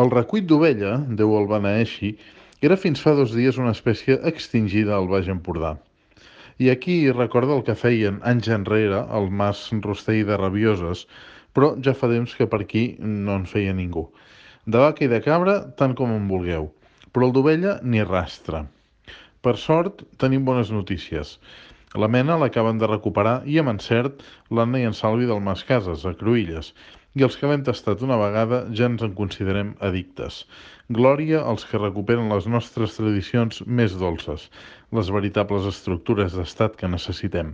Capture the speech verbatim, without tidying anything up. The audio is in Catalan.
El recuit d'ovella, Déu el beneeixi, era fins fa dos dies una espècie extingida al Baix Empordà. I aquí recorda el que feien anys enrere el mas Rostell de Rabioses, però ja fa temps que per aquí no en feia ningú. De vaca i de cabra, tant com en vulgueu, però el d'ovella ni rastre. Per sort, tenim bones notícies. La mena l'acaben de recuperar i amb encert l'Anna i en Salvi del Mas Cases, a Cruïlles, i els que l'hem tastat una vegada ja ens en considerem addictes. Glòria als que recuperen les nostres tradicions més dolces, les veritables estructures d'estat que necessitem.